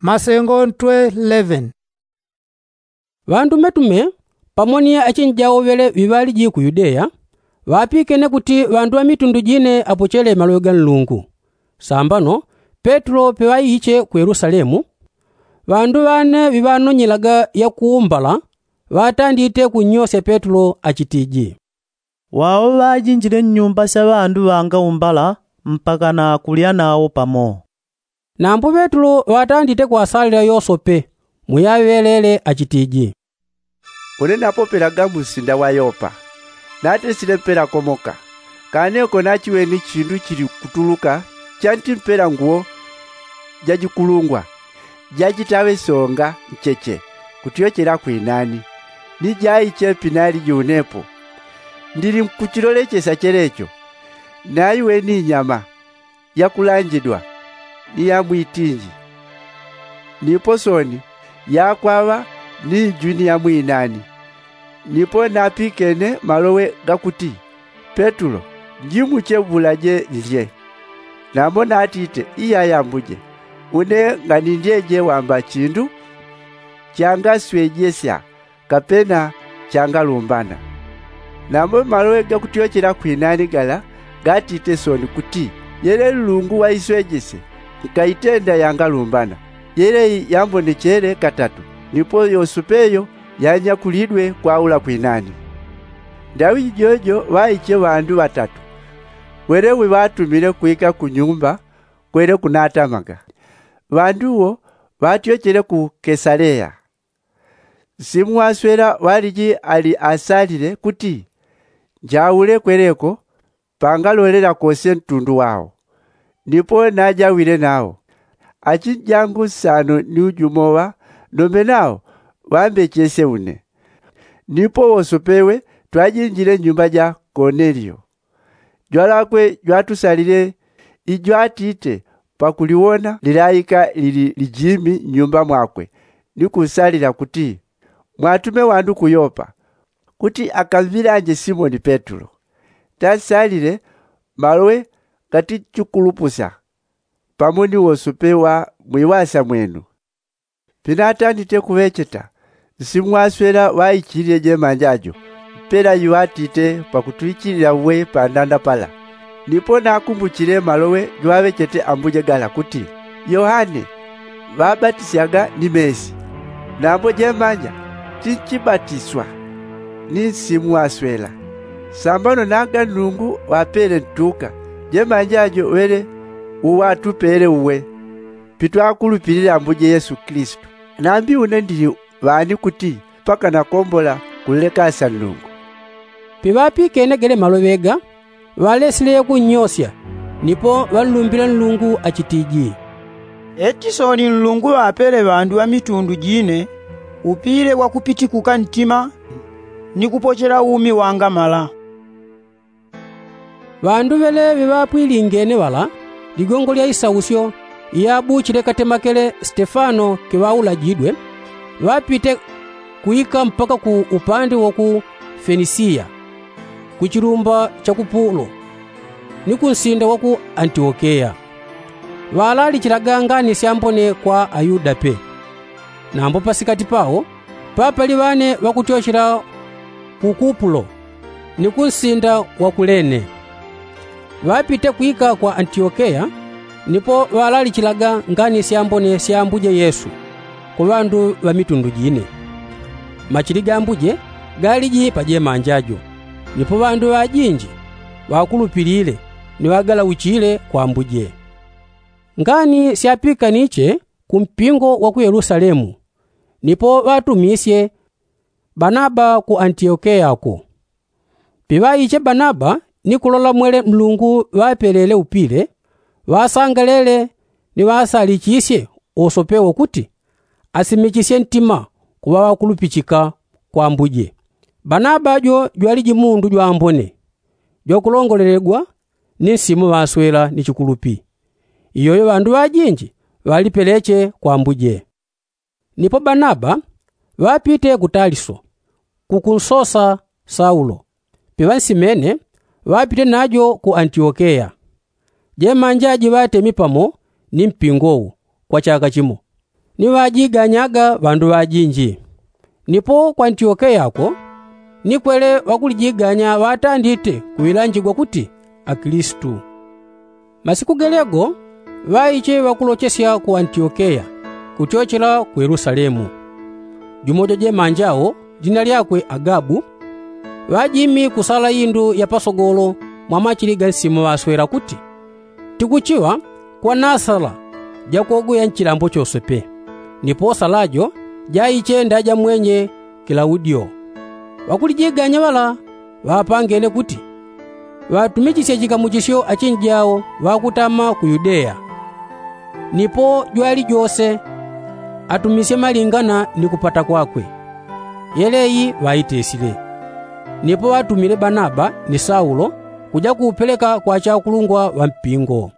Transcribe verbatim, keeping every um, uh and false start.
Masengo ntwe eleven. Ŵandumetume pamo ni achinjawo ŵele ŵiŵaliji ku yudeya ŵapikene kuti ŵandu ŵa mitundu jine apochele maloŵe ga nlungu. Sambano petulo piŵaiche ku yelusalemu, ŵandu ŵane ŵiŵanonyelaga yakuumbala ŵatandite kunnyosya petulo achitiji, wawo ŵajinjile nnyumba sya ŵandu ŵangaumbala mpaka na kulya nawo pamo. Nambo petulo ŵatandite kwasalila yosope muyaŵelele achitiji, une napopelaga mu nsinda wa yopa, natesile mpela komoka, kaneko nachiweni chindu chili kutuluka chanti mpela nguwo jajikulungwa jachitaŵe songa ncheche kutyochela kwinani, ni jaiche pinaliji unepo. Ndili nkuchilolechesya chelecho, naiweni nyama yakulanjidwa ni ya mwitinji, nipo soni yakwaŵa ni njwini ya mwinani. Nipo napikene maloŵe gakuti, petulo, njimuche bulaje nlye. Nambo natite, iyaya ambuje, une nganindyeje wamba chindu changaswejesya kapena changalumbana. Nambo maloŵe gakutyochela kwinani gala gatite soni kuti, yele nlungu waiswejese nkaitenda yangalumbana, yele yambonechele katatu, nipo yosope yo yanyakulidwe kwaula kwinani. Ndaŵi jijojo ŵaiche ŵandu ŵatatu wele wiŵatumile kwika kunyumba kwele kunatamaga. Ŵandu wo ŵatyochele ku kesaleya. Nsimu waswela ŵaliji ali asalile kuti njaule kweleko pangalolela kose ntundu wao. Nipo najawile nao achinjangu nsano ni ujumoŵa nombe nao ŵambechesye une. Nipo wosopewe twajinjile nnyumba ja konelio. Jwalakwe jwatusalile ijwatite pakuliwona lilaika lili lijimi nnyumba mwakwe ni kunsalila kuti, mwatume ŵandu ku yopa kuti akamvilanje simoni petulo. Tansalile maloŵe gatichikulupusya pamo ni wosope wa mwiŵasya mwenu. Pinatanite kuŵecheta, nsimu waswela ŵaichilile jemanja jo mpela iŵatite pakutwichilila uwe pandanda pala. Nipo nakumbuchile maloŵe jwaŵechete ambuje gala kuti, yohane ŵabatisyaga ni mesi, nambo jemanja tinchibatiswa ni nsimu waswela. Sambano naga nlungu ŵapele ntuka jemanja jo ŵele uŵatupele uwe, pitwakulupilila ambuje yesu kilisitu. Nambi une ndili ŵani kuti mpaka nakombola kulekasya nlungu? Piŵapikene gele maloŵe ga ŵalesile yakunnyosya. Nipo ŵanlumbile nlungu achitiji, eti soni nlungu ŵapele ŵandu ŵa mitundu jine upile wakupitikuka ntima ni kupochela umi wangamala. Ŵandu ŵele ŵiŵapwilingene ŵala ligongo lya isausyo iyabuchile katemakele stefano kiŵaulajidwe, ŵapite kuika mpaka ku upande wa ku fenisiya, ku chilumba cha kupulo, ni ku nsinda wa ku antiokeya. Ŵalalichilaga ngani syambone kwa ayuda pe. Nambo pasikati pao papali ŵane ŵakutyochela ku kupulo ni ku nsinda wa kulene. Ŵapite kwika kwa antiokeya, nipo ŵalalichilaga ngani syambone sya ambuje yesu kwa ŵandu ŵa mitundu jine. Machili ga ambuje galiji pajemanja jo, nipo ŵandu ŵajinji ŵakulupilile ni ŵagalauchile kwa ambuje. Ngani syapikaniche ku mpingo wa ku yelusalemu, nipo ŵatumisye banaba ku antiokeya ko. Piŵaiche banaba ni kulola mwele nlungu ŵapelele upile, ŵasangalele ni ŵasalichisye wosope wo kuti asimichisye ntima kuŵa ŵakulupichika kwa ambuje. Banaba jo jwaliji mundu jwambone, jwakulongolelegwa ni nsimu ŵaswela ni chikulupi. Iyoyo ŵandu ŵajinji ŵalipeleche kwa ambuje. Nipo banaba ŵapite ku taliso, kukunsosa saulo. Piŵansimene ŵapite najo ku antiokeya. Jemanja ji ŵatemi pamo ni mpingo wo kwa chaka chimo. Ni ŵajiganyaga ŵandu ŵajinji. Nipo ku antiokeya ko, ni kwele ŵakulijiganya ŵatandite kuŵilanjigwa kuti akilisitu. Masiku gelego ŵaiche ŵakulochesya ku antiokeya, kuchochela ku yelusalemu. Jumo jwa jemanja wo, lina lyakwe agabu, ŵajimi ku sala indu ya pasogolo mwa machili ga nsimu ŵaswela kuti, tikuchiŵa kwa nasala jakogoya nchilambo chose pe. Nipo sala jo jaiche nda ja mwenye kilaudio. Ŵakulijiganya ŵala ŵapangene kuti ŵatumichisye chikamuchisyo achinji jao ŵakutama ku yudeya. Nipo jwali jose atumisye malingana ni kupata kwakwe. Yeleyi ŵaitesile. Nipo ŵatumile banaba ni saulo kuja kuupeleka kwa achakulungwa ŵa mpingo.